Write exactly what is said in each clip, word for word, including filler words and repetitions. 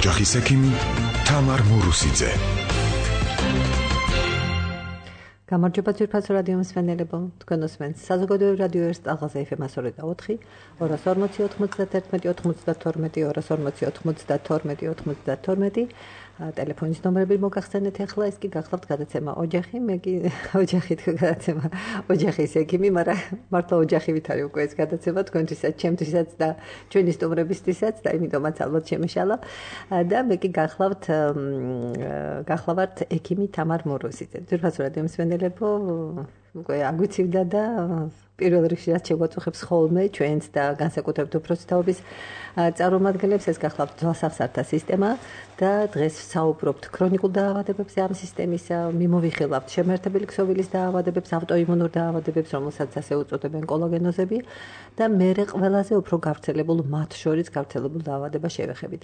ოჯახის ექიმი თამარ მურუსიძე. გამარჯობა ძვირფას რადიო მსმენელებო, თქვენ უსმენთ საზოგადოებრივ რადიო ერთ ტალღაზე ეფ ემ სამოცდაოთხი, ორას ორმოცი ოთხმოცდათერთმეტი ოთხმოცდათორმეტი, ორას ორმოცი ოთხმოცდათორმეტი ოთხმოცდათორმეტი. ტელეფონის ნომრები მოგახსენეთ ახლა, ეს კი გახლავთ გადაცემა ოჯახი, მე კი ოჯახით გადაცემა ოჯახის ექიმი, მაგრამ მართლა ოჯახივით არის უკვე ეს გადაცემა თქვენთვისაც, ჩემთვისაც და ჩვენი სტუმრებისთვისაც და იმიტომაც ალბათ შემეშალა და მე კი გახლავთ გახლავართ ექიმი თამარ მურუსიძე. ძვირფას რადიო მსმენელებო, უკვე აგვიცივდა და პირველ რიგში რაც შეგვაწუხებს ხოლმე ჩვენს და განსაკუთრებით უფროსი თაობის წარმომადგენლებს, ეს გახლავთ ძვალსახსართა სისტემა და დღეს საუბრობთ ქრონიკულ დაავადებებზე ამ სისტემის, მიმოვიხილავთ შემაერთებელი ქსოვილის დაავადებებს, ავტოიმუნურ დაავადებებს, რომელსაც ასე უწოდებენ კოლაგენოზები და მერე ყველაზე უფრო გავრცელებულ მათ შორის გავრცელებულ დაავადებას შევეხებით.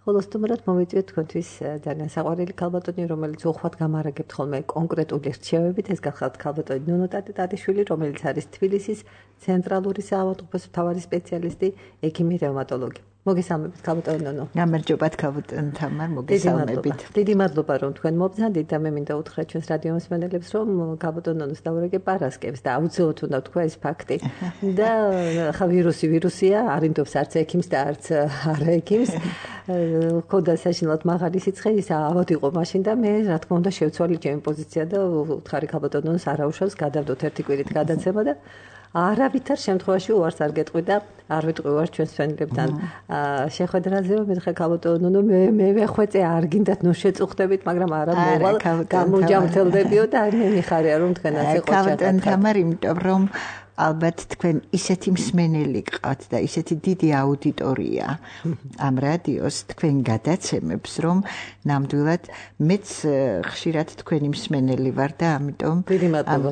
ხოლო სტუმრად მოვიწვიეთ თქვენთვის ძალიან საყვარელი ქალბატონი, რომელიც უხვად გამარაგებთ ხოლმე კონკრეტული რჩევებით, ეს გახლავთ ქალბატონი ნონო ტატიშვილი, რომელიც არის თბილისის ცენტრალური საავადმყოფოს მთავარი სპეციალისტი, ექიმი რევმატოლოგი. მოგესალმებით ქალბატონი ნონო. გამარჯობათ ქალბატონი თამარ, მოგესალმებით. დიდი მადლობა რომ თქვენ მობრძანდით და მე მინდა უთხრა ჩვენს რადიო მსმენელებს, რომ ქალბატონი ნონოს დავურეკე პარასკევს და აუცილებლად უნდა თქვა ეს ფაქტი. და ხა ვირუსი ვირუსია, არ ინდობს არც ექიმს და არც არა ექიმს. ხოდა საშინლად მაღალი სიცხე ის ავად იყო მაშინ და მე რა თქმა უნდა შევცვალე ჩემი პოზიცია და უთხარი ქალბატონი ნონოს არაუშავს გადავდოთ ერთი კვირით გადაცემა და არავითარ შემთხვევაში უარს არ გეტყვი და არ ვიტყვი უარს ჩვენს მსმენელებთან შეხვედრაზე, მეთქე ქალბატონი ნონო მე მე ვეხვეწე არ გინდათ ნუ შეწუხდებით, მაგრამ არა მოვალ გამოჯამრთელდებიო და მე მიხარია რომ თქვენ ასე ყოჩა. ქალბატონი თამარ, იმიტომ რომ ალბათ თქვენ ისეთი მსმენელი გყავთ და ისეთი დიდი აუდიტორია ამ რადიოს თქვენ გადაცემებს, რომ ნამდვილად მეც ხშირად თქვენი მსმენელი ვარ და ამიტომ დიდი მადლობა.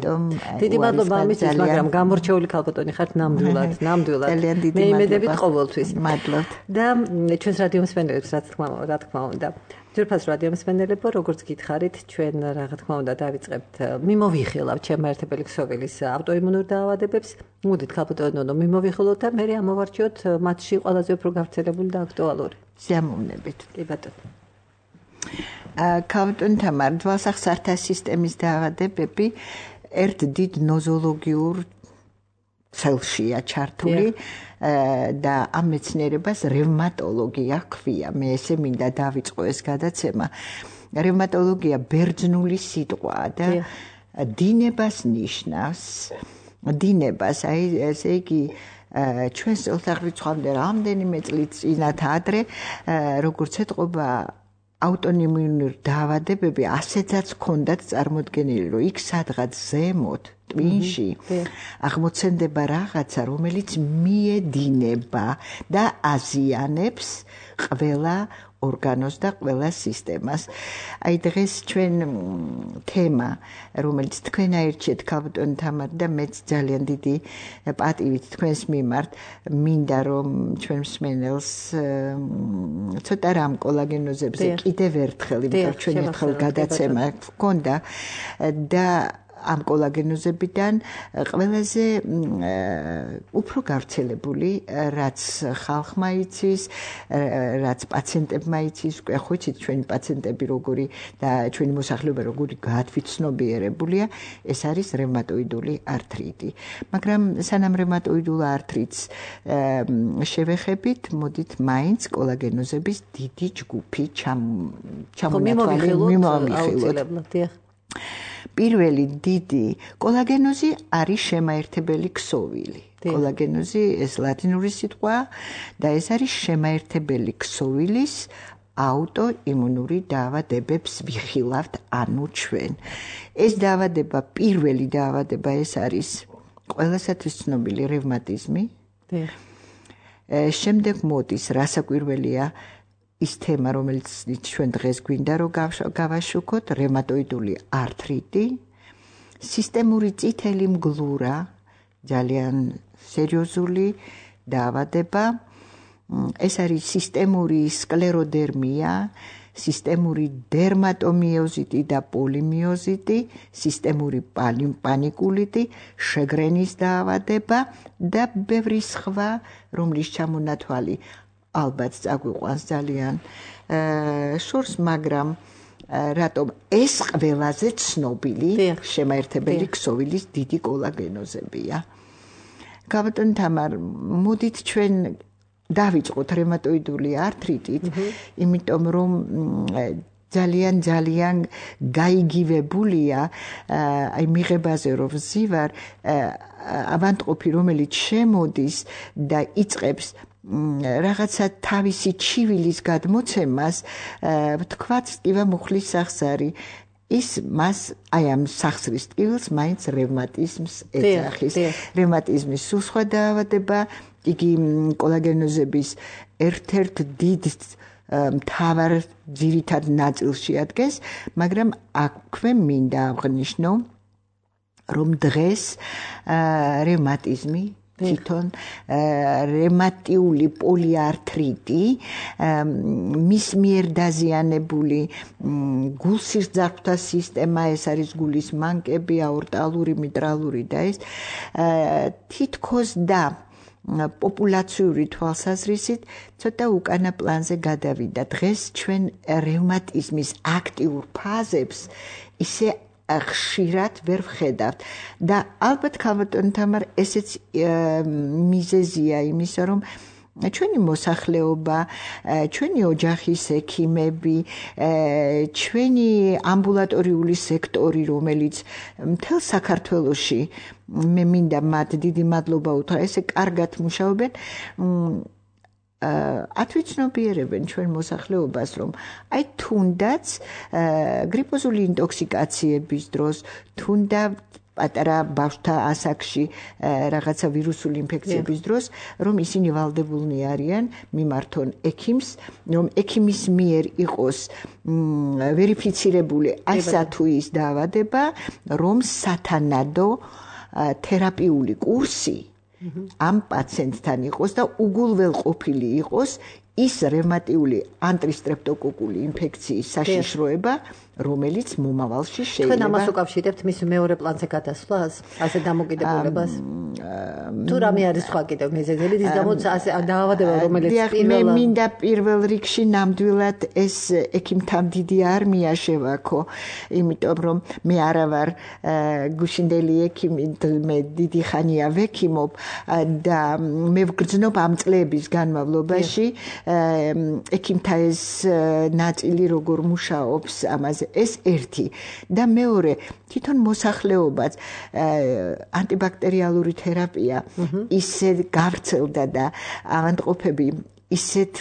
დიდი მადლობა ამისთვის, მაგრამ გამორჩეული ქალბატონი ხართ ნამდვილად, ნამდვილად. მე იმედებით ყოველთვის. მადლობთ. და ჩვენს რადიო მსმენელებს რა თქმა რა თქმა უნდა. ძვირფას რადიო მსმენელებო, როგორც გითხარით, ჩვენ რა თქმა უნდა დავიწყებთ მიმოვიხილავთ შემაერთებელი ქსოვილის ავტოიმუნურ დაავადებებს. მოდით ქალბატონი ნონო მიმოვიხილოთ და მე ამოვარჩიოთ მათში ყველაზე უფრო გავრცელებული და აქტუალური. სიამოვნებით. კი ბატონო. ქალბატონი თამარ, ძვალსახსართა სისტემის დაავადებები ერთ დიდ ნოზოლოგიურ ცელშია ჩართული და ამ მეცნიერებას რევმატოლოგია ჰქვია. მე ესე მინდა დავიწყო ეს გადაცემა. რევმატოლოგია ბერძნული სიტყვაა და დინებას ნიშნავს. დინებას, აი ესე იგი ჩვენს წელთაღრიცხვამდე რამდენიმე წლის წინათ ადრე, როგორც ეთყობა ავტოიმუნური დაავადებები ასეთაც ჰქონდათ წარმოდგენილი, რომ იქ სადღაც ზემოთ ტვინში აღმოცენდება რაღაცა, რომელიც მიედინება და აზიანებს ყველა ორგანოს და ყველა სისტემას. აი დღეს ჩვენ თემა, რომელიც თქვენ აირჩიეთ ქალბატონი თამარ და მეც ძალიან დიდი პატივით თქვენს მიმართ, მინდა რომ ჩვენ მსმენელს ცოტა რამ კოლაგენოზებზე კიდევ ერთხელ, იმიტომ ჩვენ ერთხელ გადაცემა გქონდა და ამ კოლაგენოზებიდან ყველაზე უფრო გავრცელებული, რაც ხალხმა იცის, რაც პაციენტებმა იცის, უკვე ხვიცით ჩვენი პაციენტები როგორი და ჩვენი მოსახლეობა როგორი გაათვითცნობიერებულია, ეს არის რევმატოიდული ართრიტი. მაგრამ სანამ რევმატოიდულ ართრიტს შევეხებით, მოდით მაინც კოლაგენოზების დიდი ჯგუფი ჩამოვიხილოთ. პირველი დიდი კოლაგენოზი არის შემაერთებელი ქსოვილი. კოლაგენოზი ეს ლათინური სიტყვაა და ეს არის შემაერთებელი ქსოვილის ავტოიმუნური დაავადებებს ვიხილავთ ანუ ჩვენ. ეს დაავადება, პირველი დაავადება ეს არის ყველასათვის ცნობილი რევმატიზმი. შემდეგ მოდის რასაკვირველია ის თემა, რომელიც ჩვენ დღეს გვინდა რომ გავაშუქოთ, რევმატოიდული ართრიტი, სისტემური წითელი მგლურა, ძალიან სერიოზული დაავადება. ეს არის სისტემური სკლეროდერმია, სისტემური დერმატომიოზიტი და პოლიმიოზიტი, სისტემური პანიკულიტი, შეგრენის დაავადება და ბევრი სხვა, რომლის ჩამონათვალი ალბათ წაგვიყვანს ძალიან შორს, მაგრამ რატომ ეს ყველაზე ცნობილი შემაერთებელი ქსოვილის დიდი კოლაგენოზებია. Გავატონ თამარ, მოდით ჩვენ დავიწყოთ რევმატოიდული ართრიტით, იმიტომ რომ ძალიან ძალიან გაიგივებულია აი მიღებაზე რომ ვზივარ ავანტყოფი რომელიც შემოდის და იწყებს რაღაცა თავისი ჩივილის გადმოცემას თქვაც ტკივა მუხლის სახსარი ის მას აი ამ სახსრის ტკივილს მაინც რევმატიზმს ეძახის რევმატიზმის სულ სხვა დაავადება იგი კოლაგენოზების ერთ-ერთ დიდ მთავარ ძირითად ნაწილში ადგენს, მაგრამ აქვე მინდა აღნიშნო, რომ დღეს რევმატიზმი თვითონ რევმატიული პოლიართრიტი მის მიერ დაზიანებული გულსისძარღვთა სისტემა, ეს არის გულის მანკები, აორტალური, მიტრალური და ეს თითქოს და პოპულაციური თვალსაზრისით ცოტა უკანა პლანზე გადავიდა. დღეს ჩვენ რევმატიზმის აქტიურ ფაზებს ისე ხშირად ვერ ვხედავთ და ალბათ ქალბატონ თამარ ესეც მიზეზია იმისა რომ ჩვენი მოსახლეობა, ჩვენი ოჯახის ექიმები, ჩვენი ამბულატორიული სექტორი, რომელიც მთელ საქართველოში მე მინდა მათ დიდი მადლობა უთხრა, ესე კარგად მუშაობენ, ათვიცნობიერებენ ჩვენ მოსახლეობას, რომ აი თუნდაც გრიპოზული ინტოქსიკაციების დროს, თუნდაც პატარა ბავშვთა ასაკში რაღაცა ვირუსული ინფექციების დროს, რომ ისინი ვალდებულნი არიან მიმართონ ექიმს, რომ ექიმის მიერ იყოს ვერიფიცირებული ასა თუ ის დაავადება, რომ სათანადო თერაპიული კურსი ამ პაციენტთან იყოს და უგულველყოფილი იყოს ის რევმატიული ანტრისტრეპტოკოკული ინფექციის საშიშროება, რომელიც მომავალში შეიძლება. თქვენ ამას უკავშირებთ მის მეორე პლანზე გადასვლას, ასე დამოკიდებულებას? თუ რამე არის სხვა კიდევ მიზეზები, ის გამოც ასე დაავადება, რომელიც პირველ მე მინდა პირველ რიგში ნამდვილად ეს ექიმთან დიდი არმია შევაქო, იმიტომ რომ მე არა ვარ გუშინდელი ექიმი, მე დიდი ხანია ვექიმობ და მე ვგრძნობ ამ წლების განმავლობაში ექიმთა ეს ნაწილი როგორ მუშაობს ამაზე ეს ერთი და მეორე თვითონ მოსახლეობაც ანტიბაქტერიალური თერაპია ისე გავრცელდა და ავადმყოფები ისეთ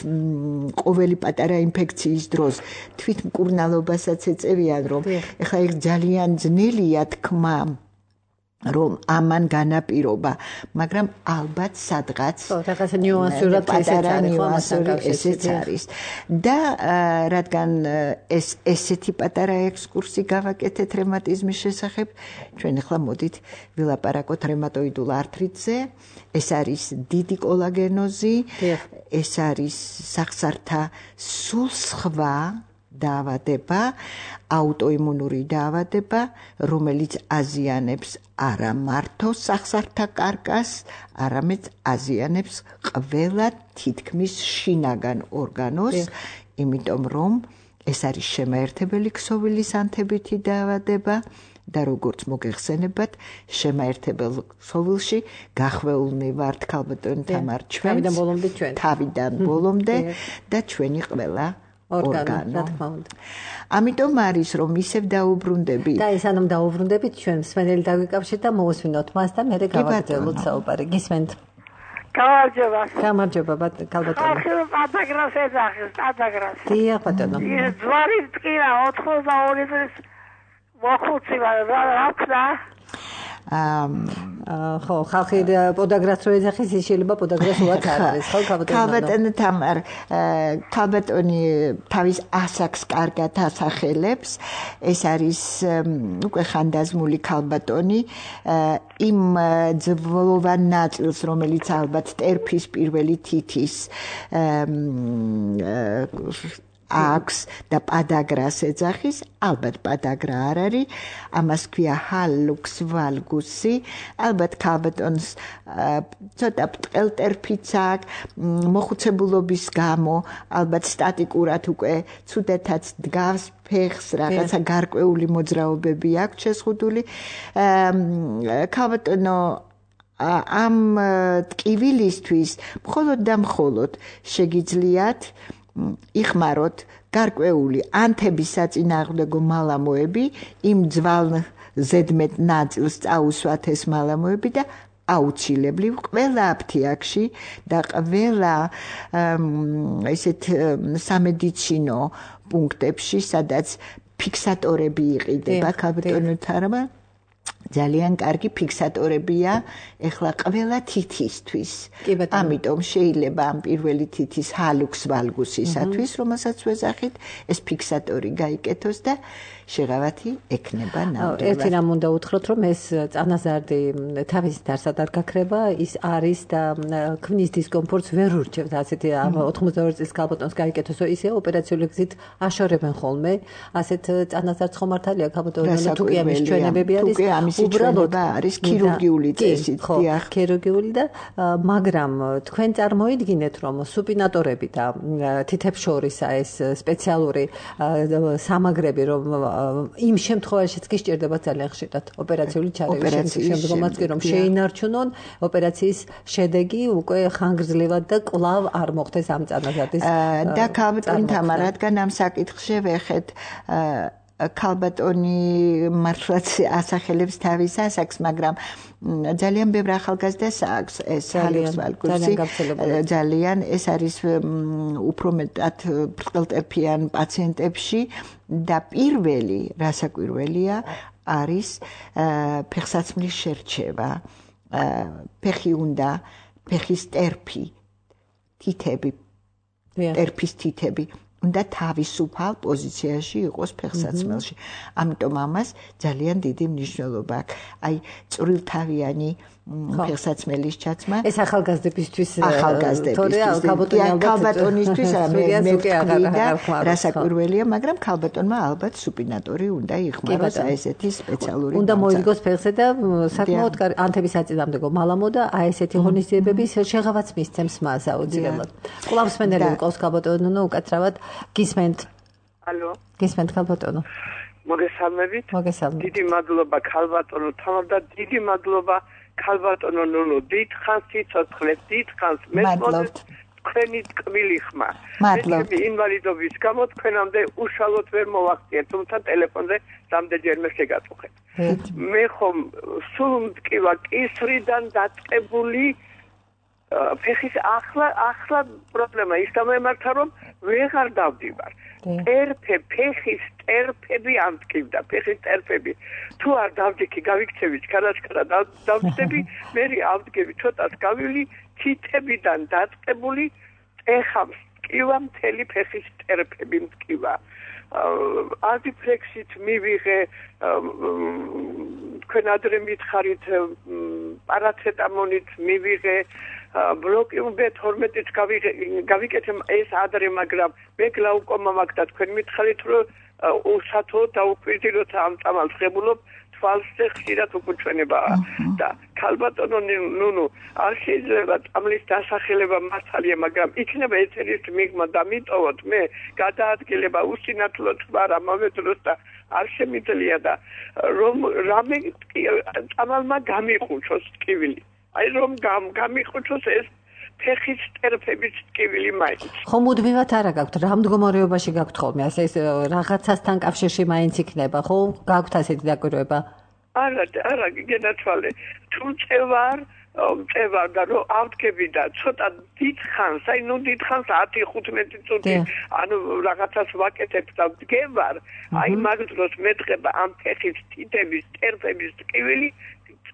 ყოველი პატარა ინფექციის დროს თვითმკურნალობასაც ეწევიან რომ ეხლა ეს ძალიან ძნელია თქმა რომ ამან განაპირობა, მაგრამ ალბათ სადღაც რაღაცა ნიუანსურად ესეც არის. და რადგან ეს ესეთი პატარა ექსკურსი გავაკეთეთ რევმატიზმის შესახებ, ჩვენ ახლა მოდით ვილაპარაკოთ რევმატოიდულ ართრიტზე. ეს არის დიდი კოლაგენოზი, ეს არის სახსართა სულ სხვა დაავადება, აუტოიმუნური დაავადება, რომელიც აზიანებს არა მარტო სახსართა კარკას, არამედ აზიანებს ყველა თითქმის შინაგან ორგანოს, იმიტომ რომ ეს არის შემაერთებელი ქსოვილის ანთებითი დაავადება და როგორც მოგეხსენებათ, შემაერთებელ ქსოვილში გახვეულნი ვართ ქალბატონ თამარ ჩვენს თავიდან ბოლომდე ჩვენ. თავიდან ბოლომდე და ჩვენი ყველა ორგანო. რა თქმა უნდა. ამიტომ არის რომ ისევ დაუბრუნდები. და ეს ანამ დაუბრუნდებით ჩვენ მსმენელი დაგვიკავშირეთ და მოусვინოთ მას და მე გავაგრძელოთ საუბარი. გისმენთ? გამარჯობა. გამარჯობა ქალბატონო. ახლა პატაგრას ეძახის, პატაგრას. დიახ ბატონო. ის ძვარი ტკინა ოცდაორი წლის მოხუცი ვარ, რა ხდა? აა ხო, ხალხი პოდაგრას რო ეძახის, ის შეიძლება პოდაგრას უაც არ არის, ხო ქალბატონო? ქალბატონო თამარ, ქალბატონი თავის ასაკს კარგად ასახელებს. ეს არის უკვე ხანდაზმული ქალბატონი, იმ ძვლოვან ნაწილს, რომელიც ალბათ ტერფის პირველი თითის აქვს და პადაგრას ეძახის, ალბათ პადაგრა არ არის, ამას ქვია ჰალუქს ვალგუსი, ალბათ ქალბატონს ცოტა ბრტყელტერფიც აქვს, მოხუცებულობის გამო, ალბათ სტატიკურად უკვე ცუდათაც დგავს ფეხს, რაღაცა გარკვეული მოძრაობები აქვს შეზღუდული. ქალბატონო ამ ტკივილისთვის მხოლოდ და მხოლოდ შეგიძლიათ იხმაროთ გარკვეული ანთების საწინააღმდეგო მალამოები, იმ ძვალ ზედმეტ ნაწილს წაუსვათ ეს მალამოები და აუცილებლივ ყველა აფთიაქში და ყველა ესეთ სამედიცინო პუნქტებში, სადაც ფიქსატორები იყიდება ქალბატონთამა, ძალიან კარგი ფიქსატორებია ეხლა ყველა თითისთვის. ამიტომ შეიძლება ამ პირველი თითის ჰალუქს ვალგუსისათვის, რომელსაც ვეძახით, ეს ფიქსატორი გაიკეთოს და შეღავათი ექნება ნამდვილად. ერთი რამ უნდა უთხროთ, რომ ეს წანაზარდი თავის დარსად არ გაქრება, ის არის და ქმნის დისკომფორტს ვერ ურჩევთ, ასეთი ოთხმოცდაორი წლის ქალბატონს გაიკეთოს, ისე ოპერაციული გზით აშორებენ ხოლმე, ასეთ წანაზარდს ხომ მართალია ქალბატონო, თუ კი ამის ჩვენებები არის, უბრალოდ არის ქირურგიული წესით, დიახ, ქირურგიული და მაგრამ თქვენ წარმოიდგინეთ, რომ სუპინატორები და თითებს შორისა ეს სპეციალური სამაგრები, რომ იმ შემთხვევაშიც კი სჭირდება ძალიან ხშირად ოპერაციული ჩარევის შემდგომაც კი რომ შეინარჩუნონ ოპერაციის შედეგი უკვე ხანგრძლივად და კვლავ არ მოხდეს ამ წანაზარდის და ქალბატონთამა, რადგან ამ საკითხში ვეხეთ ქალბატონი მართლაც ასახელებს თავის ასაკს, მაგრამ ძალიან ბევრ ახალგაზრდას აქვს ეს ჰალუქს ვალგუსი, ძალიან ეს არის უფრო მეტად ბრტყელტერფიან პაციენტებში და პირველი რასაკვირველია არის ფეხსაცმლის შერჩევა, ფეხი უნდა, ფეხის ტერფი, თითები, ტერფის თითები უნდა თავისუფალ პოზიციაში იყოს ფეხსაცმელში. ამიტომ ამას ძალიან დიდი მნიშვნელობა აქვს. აი წვრილთავიანი ფეხსაცმელის ჩაცმა. ეს ახალგაზრდებისთვის ახალგაზრდებისთვის ქალბატონისთვის მე ვთქვი და რასაკვირველია, მაგრამ ქალბატონმა ალბათ სუპინატორი უნდა იხმაროს აი ესეთი სპეციალური. უნდა მოიგოს ფეხზე და საკმაოდ ანთების საწინააღმდეგო მალამო და აი ესეთი ღონისძიებების შეღავაც მისცემს მას აუცილებლად. კვლავ სმენელი მყავს ქალბატონო, უკაცრავად გისმენთ. ალო. გისმენთ ქალბატონო. მოგესალმებით. მოგესალმებით. დიდი მადლობა ქალბატონო თამარ და დიდი მადლობა ქალბატონო ნუნუ, დიდხანს სიცოცხლეს, დიდხანს მესმოდეთ თქვენი ტკბილი ხმა. მე ინვალიდობის გამო თქვენამდე უშუალოდ ვერ მოვახციეთ, თუმცა ტელეფონზე რამდენჯერმე შეგაწუხეთ. მე ხომ სულ მტკივა კისრიდან დაწყებული ფეხის ახლა ახლა პრობლემა ის გამემართა, რომ ვეღარ დავდივარ. ტერფე, ფეხის ტერფები ამტკივდა, ფეხის ტერფები. თუ არ დავდიქი, გავიქცევი ჩქარაჩქარა დავდები, მე ავდგები ცოტას გავივლი, თითებიდან დაწყებული ეხავს მტკივა, მთელი ფეხის ტერფები მტკივა. აზიფლექსით მივიღე, თქვენ ადრე მითხარით, პარაცეტამოლით მივიღე, ბლოკიუმ ბე თორმეტიც გავიკეთე ეს ადრე, მაგრამ მე გლაუკომა მაქვს და თქვენ მითხარით, რომ უსათო დაუკვირდით ამ წამალს ღებულობ, თვალზე ხშირად უკუჩვენებაა და ქალბატონო ნუნუ, არ შეიძლება წამლის დასახელება მართალია, მაგრამ იქნება ეთერის მიღმა და მიტოვოთ მე გადაადგილება უსინათლოდ ვარ ამავე დროს და არ შემიძლია და რომ რამე წამალმა გამიყუჩოს ტკივილი. აი რომ გამიყუჩოს ეს ფეხის ტერფების ტკივილი მაინც. ხო მუდმივად არა გაქვთ, რა მდგომარეობაში გაქვთ ხოლმე, ასე ეს რაღაცასთან კავშირში მაინც იქნება, ხო? გაქვთ ასეთი დაკვირვება? არა, არა, გენაცვალე. თუ წევარ, წევარ და რომ ავდგები და ცოტა დიდხანს, აი ნუ დიდხანს ათი ხუთმეტი წუთი, ანუ რაღაცას ვაკეთებ და ვდგევარ, აი მაგ დროს მეწყება ამ ფეხის თითების, ტერფების ტკივილი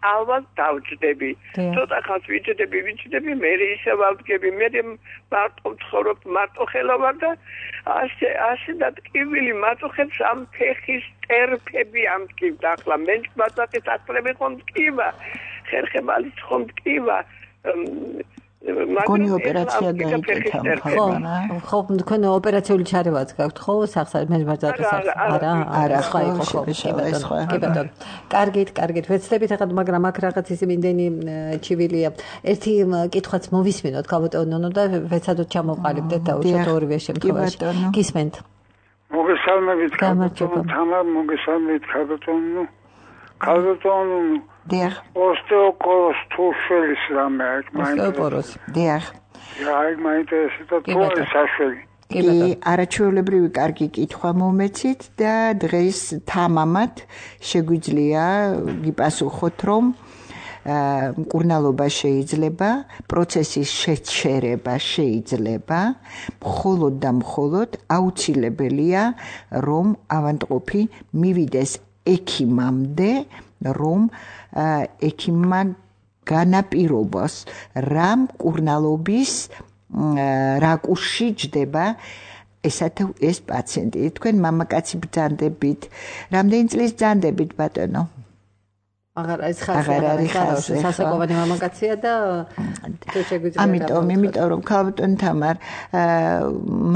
ალვას დავჯდები. ცოტა ხანს ვიჯდები, ვიჯდები, მე ისე ვავდგები, მე მარტო ვცხოვრობ, მარტო ხელა ვარ და ასე ასე და ტკივილი მაწუხებს ამ ფეხის ტერფები ამტკივდა. ახლა მე მაწახის ახლები ხომ ტკივა, ხერხემალიც ხომ ტკივა. გონი ოპერაცია გაიგეთ ამ ხალხმა. ხო, თქვენ ოპერაციული ჩარევაც გაქვთ ხო სახსარ მე ბაძატის არა არა სხვა იყო ხო კი ბატონო. კარგით, კარგით. ვეცდებით ახლა მაგრამ აქ რაღაც ის იმდენი ჩივილია. ერთი კითხვაც მოვისმინოთ ქალბატონო და ვეცადოთ ჩამოვყალიბდეთ და უშოთ ორივე შემთხვევაში. გისმენთ. მოგესალმებით ქალბატონო, თამარ მოგესალმებით ქალბატონო. ქალბატონო დიახ. ოსტეოპოროზ თუ შელის რამე აქ მაინტერესებს. ოსტეოპოროზ. დიახ. აი მაინტერესებს თუ საშველი. კი, არაჩვეულებრივი კარგი კითხვა მომეცით და დღეს თამამად შეგვიძლია გიპასუხოთ, რომ მკურნალობა შეიძლება, პროცესის შეჩერება შეიძლება, მხოლოდ და მხოლოდ აუცილებელია, რომ ავადმყოფი მივიდეს ექიმამდე, რომ ექიმმა განაპირობოს რა მკურნალობის რაკურსში ჯდება ესათა ეს პაციენტი. თქვენ მამაკაცი ბრძანდებით, რამდენი წლის ბრძანდებით ბატონო? აღარ არის ხალხი, სასაკოვანი მამაკაცია და შეგვიძლია. ამიტომ, იმიტომ რომ ქალბატონ თამარ,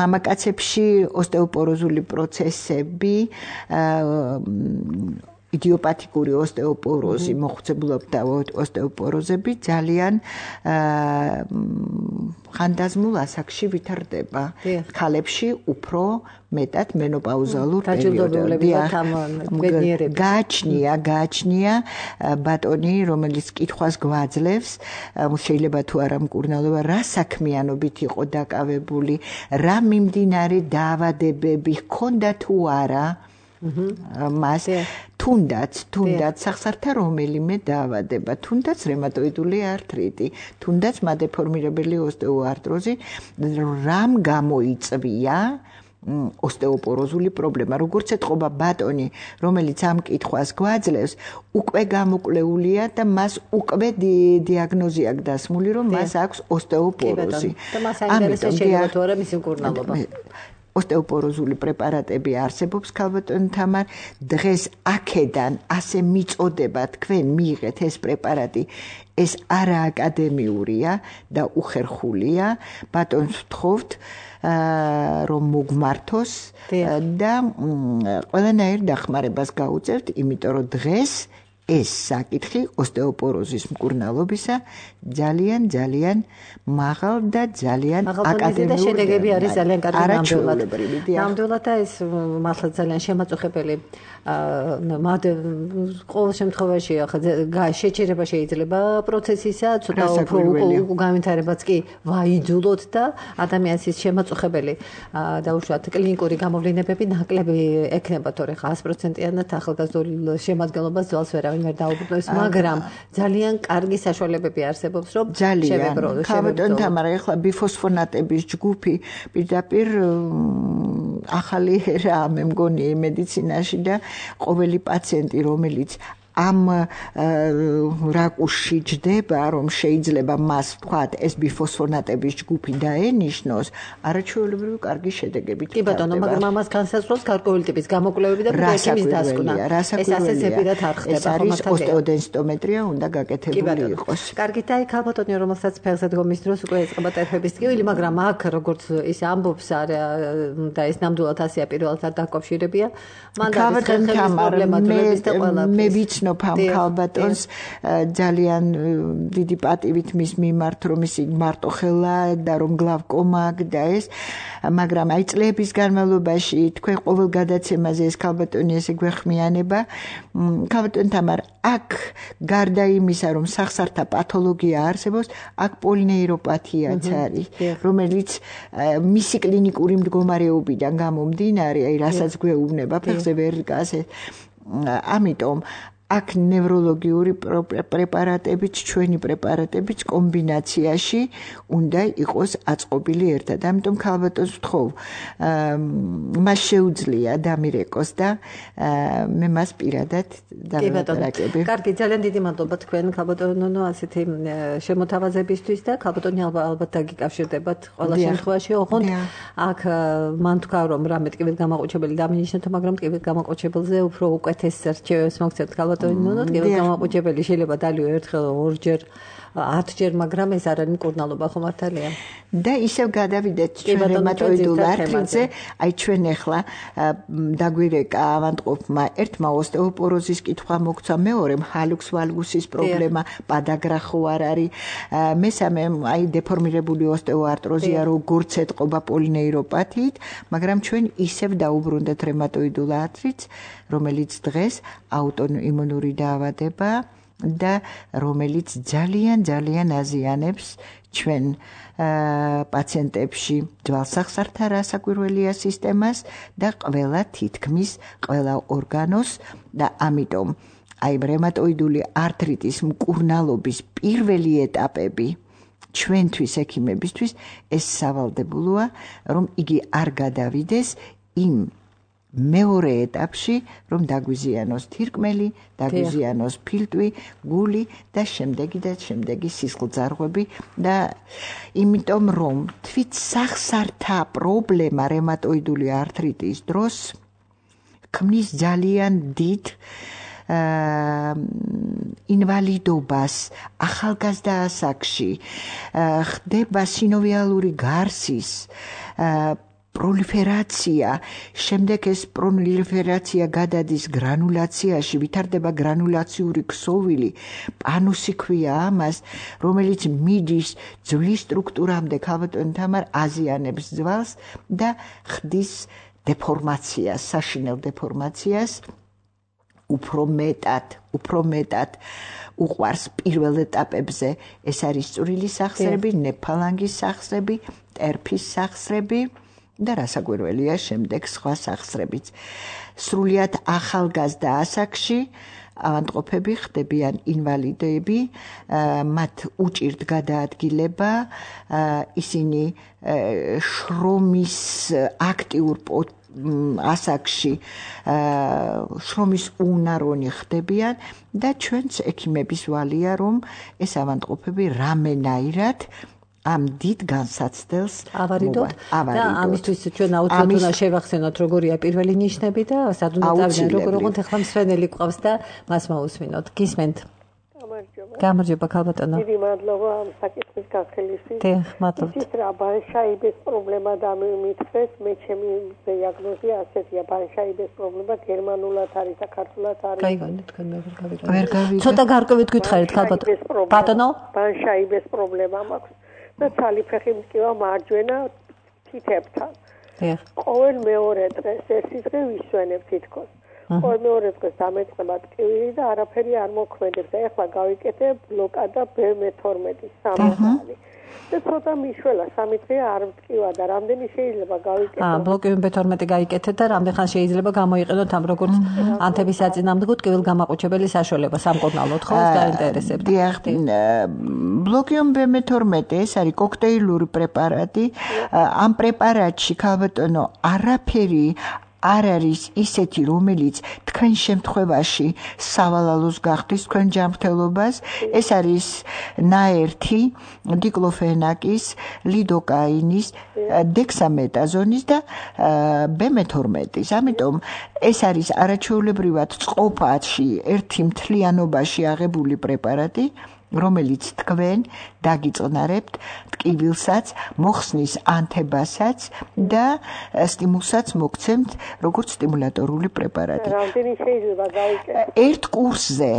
მამაკაცებში ოსტეოპოროზული პროცესები იდიოპათიკური ოსტეოპოროზი, მოხუცებულობდა ოსტეოპოროზები ძალიან ხანდაზმულ ასაკში ვითარდება. ქალებში უფრო მეტად მენოპაუზალურ პერიოდში. გააჩნია, გააჩნია ბატონი, რომელიც კითხვას გვაძლევს, შეიძლება თუ არა მკურნალობა, რა საქმიანობით იყო დაკავებული, რა მიმდინარე დაავადებები ჰქონდა თუ არა. მას თუნდაც თუნდაც სახსართა რომელიმე დაავადება, თუნდაც რევმატოიდული ართრიტი, თუნდაც მადეფორმირებელი ოსტეოარტროზი, რამ გამოიწვია ოსტეოპოროზული პრობლემა. როგორც ეთყობა ბატონი, რომელიც ამ კითხვას გვაძლევს, უკვე გამოკვლეულია და მას უკვე დიაგნოზი აქვს დასმული, რომ მას აქვს ოსტეოპოროზი. და მას აინტერესებს შეიძლება თუ არა მისი მკურნალობა. ოსტეოპოროზული პრეპარატები არსებობს ქალბატონ თამარ. დღეს აქედან ასე მიწოდება თქვენ მიიღეთ ეს პრეპარატი, ეს არა აკადემიურია და უხერხულია. ბატონს ვთხოვთ რომ მოგმართოს და ყველანაირ დახმარებას გაუწევთ, იმიტომ რომ დღეს ეს საკითხი ოსტეოპოროზის მკურნალობისა ძალიან ძალიან მაღალ და ძალიან აკადემიური და შედეგები არის ძალიან კარგი ნამდვილად. ნამდვილად ეს მართლა ძალიან შემაწუხებელი. მად ყოველ შემთხვევაში ახლა შეჩერება შეიძლება პროცესისა, ცოტა უფრო განვითარებაც კი ვაიძულოთ და ადამიანის ის შემაწუხებელი და უშუალოდ კლინიკური გამოვლენებები ნაკლები ექნება, თორე ხა sto პროცენტიანად ახალგაზრდულ შემადგენლობას ძვალს ვერავინ ვერ დაუბრუნებს, მაგრამ ძალიან კარგი საშუალებები არსებობს, რომ შევებრუნოთ. ქალბატონ თამარ, ახლა ბიფოსფონატების ჯგუფი პირდაპირ ახალი ერა მე მგონი მედიცინაში და ყოველი პაციენტი, რომელიც ამ რაკურსში ჯდება, რომ შეიძლება მას ვთქვათ, ეს ბიფოსფონატების ჯგუფი დაენიშნოს, არაჩვეულებრივი კარგი შედეგებით. კი ბატონო, მაგრამ ამას განსაზღვრავს გარკვეული ტიპის გამოკვლევები და ექიმის დასკვნა. ეს ასე ზებირად არ ხდება. ეს არის ოსტეოდენსიტომეტრია, უნდა გაკეთებული იყოს. კარგით, აი ქალბატონი, რომელსაც ფეხზე დგომის დროს უკვე ეწყება ტერფების ტკივილი, მაგრამ აქ როგორც ის ამბობს და ეს ნამდვილად ასეა პირველად დაკავშირებია, მან დადის ხერხების პრობლემა დროების და ყველაფერს. ნოფ ამ ქალბატონს ძალიან დიდი პატივით მის მიმართ, რომ ის მარტო ხელა და რომ გლავკომა აქვს და ეს, მაგრამ აი წლების განმავლობაში თქვენ ყოველ გადაცემაზე ეს ქალბატონი ესე გვეხმიანება. ქალბატონ თამარ, აქ გარდა იმისა, რომ სახსართა პათოლოგია არსებობს, აქ პოლინეიროპათიაც არის, რომელიც მისი კლინიკური მდგომარეობიდან გამომდინარე, აი რასაც გვეუბნება, ფეხზე ვერ დგას. ამიტომ აქ ნევროლოგიური პრეპარატებიც, ჩვენი პრეპარატებიც კომბინაციაში უნდა იყოს აწყობილი ერთად. ამიტომ ქალბატონს ვთხოვ, მას შეუძლია დამირეკოს და მე მას პირადად დავაპარაკები. კარგი, ძალიან დიდი მადლობა თქვენ ქალბატონო ასეთი შემოთავაზებისთვის და ქალბატონი ალბათ დაგიკავშირდებათ ყველა შემთხვევაში. ოღონდ აქ მან თქვა, რომ რამე ტკივილი გამაყუჩებელი დამინიშნოთ, მაგრამ ტკივილი გამაყუჩებელზე უფრო უკეთეს რჩევებს მოგცემთ ქალბატონო. ნუ ტკივილი გამაყუჩებელი შეიძლება დალიო ერთხელ ორჯერ ათჯერ, მაგრამ ეს არ არის მკურნალობა, ხო მართალია? და ისევ გადავიდეთ ჩვენ რევმატოიდულ არტრიტზე, აი ჩვენ ახლა დაგვირეკა ავადმყოფმა ერთმა ოსტეოპოროზის კითხვა მოგცა, მეორემ ჰალუქს ვალგუსის პრობლემა, პადაგრა ხო არ არის, მესამე აი დეფორმირებული ოსტეოარტროზია, როგორც ეთყობა პოლინეიროპათიით, მაგრამ ჩვენ ისევ დაუბრუნდეთ რევმატოიდულ არტრიტს, რომელიც დღეს აუტოიმუნური დაავადება და რომელიც ძალიან ძალიან აზიანებს ჩვენ პაციენტებში ძვალსახსართა რასაკვირველია სისტემას და ყველა თითქმის ყველა ორგანოს და ამიტომ აი რევმატოიდული არტრიტის მკურნალობის პირველი ეტაპები ჩვენთვის ექიმებისთვის ეს სავალდებულოა, რომ იგი არ გადავიდეს იმ მეორე ეტაპში, რომ დაგვიზიანოს თირკმელი, დაგვიზიანოს ფილტვი, გული და შემდეგი და შემდეგი სისხლძარღვები და იმიტომ რომ თვით სახსართა პრობლემა რევმატოიდული არტრიტის დროს ქმნის ძალიან დიდ ინვალიდობას ახალგაზრდა ასაკში, ხდება სინოვიალური გარსის პროლიფერაცია, შემდეგ ეს პროლიფერაცია გადადის გრანულაციაში, ვითარდება გრანულაციური ქსოვილი, პანუსი ქვია ამას, რომელიც მიდის ძვლის სტრუქტურამდე, ქალბატონი თამარ აზიანებს ძვალს და ხდის დეფორმაციას, საშინელ დეფორმაციას, უფრო მეტად, უფრო მეტად უყვარს პირველ ეტაპებზე, ეს არის წვრილი სახსრები, ნეფალანგის სახსრები, ტერფის სახსრები და რასაკვირველია შემდეგ სხვა სახსრებიც. სრულიად ახალგაზრდა ასაკში ავადმყოფები ხდებიან ინვალიდები, მათ უჭირთ გადაადგილება, ისინი შრომის აქტიურ ასაკში შრომის უნარონი ხდებიან და ჩვენც ექიმების ვალია, რომ ეს ავადმყოფები რამენაირად ამ დიდ განსაცდელს ავარიდოთ და ამისთვის ჩვენ აუცილებლად უნდა შევახსენოთ როგორია პირველი ნიშნები და სად უნდა წავიდეთ, როგორ უყურთ ახლა მსვენელი ყავს და მას მოусმინოთ. გისმენთ? გამარჯობა. გამარჯობა ქალბატონო. დიდი მადლობა ამ საკითხის განხილვისთვის. დიახ, მადლობა. ის რა ბანშაიბეს პრობლემა დამიმითხეს, მე ჩემი დიაგნოზია ასეთია, ბანშაიბეს პრობლემა გერმანულად არის, საქართველოს არის. გაიგონეთ თქვენ მე ვერ გავიგე. ვერ გავიგე. ცოტა გარკვევით გითხარით ქალბატონო. ბატონო? ბანშაიბეს პრობლემა მაქვს. და ცალიფეხი მტკივა მარჯვენა თითებთან. დიახ. ყოველ მეორე დღეს ერთი დღე ვისვენებ თითქოს. ყოველ მეორე დღეს დამეწყება ტკივილი და არაფერი არ მოქმედებს. და ეხლა გავიკეთე ბლოკადა ბ მეთორმეტი სამი ხალი. და ცოტა მიშველა სამი დღე არ მტკივა და რამდენი შეიძლება გავიკეთო? აა ბლოკები ბ მეთორმეტი გაიკეთეთ და რამდენ ხანს შეიძლება გამოიყენოთ ამ როგორც ანთების საწინააღმდეგო ტკივილ გამაყუჩებელი საშუალება სამკურნალოდ ხო ეს დაინტერესებთ? დიახ, ბლოკიუმ ბ მეთორმეტი ეს არის კოქტეილური პრეპარატი. ამ პრეპარატში ქალბატონო არაფერი არ არის ისეთი, რომელიც თქვენ შემთხვევაში სავალალოს გახდის თქვენ ჯანმრთელობას. ეს არის ნაერთი დიკლოფენაკის, ლიდოკაინის, დექსამეტაზონის და ბ მეთორმეტის. ამიტომ ეს არის არაჩვეულებრივად წყობაში ერთი მთლიანობაში აღებული პრეპარატი, რომელიც თქვენ დაგიწყნარებთ ტკივილსაც, მოხსნის ანთებასაც და სტიმულსაც მოგცემთ როგორც სტიმულატორული პრეპარატი. რამდენი შეიძლება გავიკეთო? ერთ კურსზე,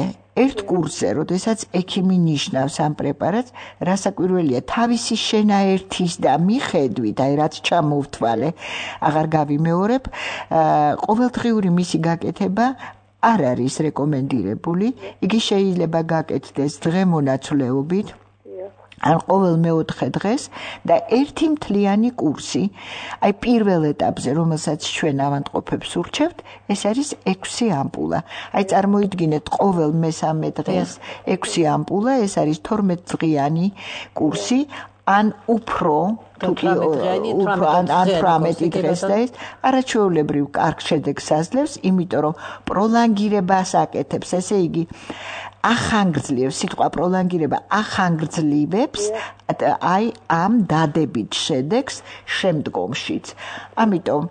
ერთ კურსზე, როდესაც ექიმი ნიშნავს ამ პრეპარატს, რასაკვირველია, თავისი შენაერთის და მიხედვით, აი რაც ჩამოვთვალე, აღარ გავიმეორებ, ყოველდღიური მისი გაკეთება არ არის რეკომენდირებული. იგი შეიძლება გაკეთდეს დღემონაცვლეობით ან ყოველ მეოთხე დღეს და ერთი მთლიანი კურსი. აი პირველ ეტაპზე, რომელსაც ჩვენ ავადმყოფებს ურჩევთ, ეს არის ექვსი ამპულა. აი წარმოიდგინეთ ყოველ მესამე დღეს ექვსი ამპულა, ეს არის თორმეტდღიანი კურსი. ან უფრო თუკი უფრო ან თვრამეტი დღეს და ეს არაჩვეულებრივ კარგ შედეგს აძლევს, იმიტომ რომ პროლანგირებას აკეთებს, ესე იგი ახანგრძლივებს, სიტყვა პროლანგირება ახანგრძლივებს აი ამ დადებით შედეგს შემდგომშიც. ამიტომ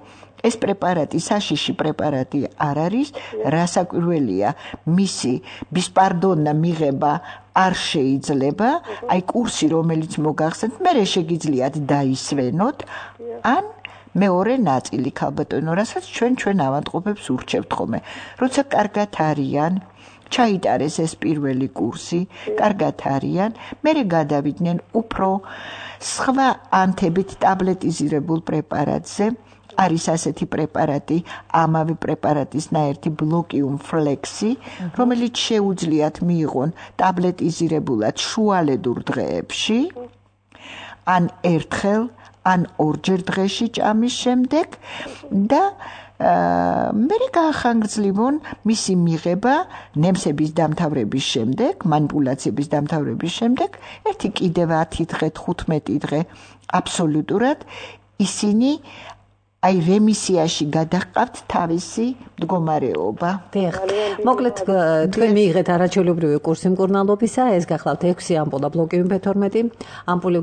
ეს პრეპარატი, საშიში პრეპარატი არ არის, რასაკვირველია, მისი ბისპარდონა მიღება არ შეიძლება, აი კურსი რომელიც მოგახსენთ, მე შეგიძლიათ დაისვენოთ, ან მეორე ნაწილი ქალბატონო, რასაც ჩვენ ჩვენ ავადმყოფებს ურჩევთ ხოლმე. როცა კარგად არიან, ჩაიტარეს ეს პირველი კურსი, კარგად არიან, მერე გადავიდნენ უფრო სხვა ანთებით ტაბლეტიზირებულ პრეპარატზე. არის ასეთი პრეპარატი, ამავე პრეპარატის ნაერთი ბლოკიუმ ფლექსი, რომელიც შეუძლიათ მიიღონ ტაბლეტიზირებულად შუალედურ დღეებში, ან ერთხელ, ან ორჯერ დღეში ჭამის შემდეგ და მე გაახანგრძლივონ მისი მიღება ნემსების დამთავრების შემდეგ, манипуляციების დამთავრების შემდეგ, ერთი კიდევ ათი დღე, თხუთმეტი დღე აბსოლუტურად ისინი აი რემისიაში გადაყავთ თავისი მდგომარეობა. დიახ. მოკლედ თქვენ მიიღეთ არაჩვეულებრივი კურსი მკურნალობისა, ეს გახლავთ ექვსი ამპულა ბლოკიუმ ფ თორმეტი, ამპული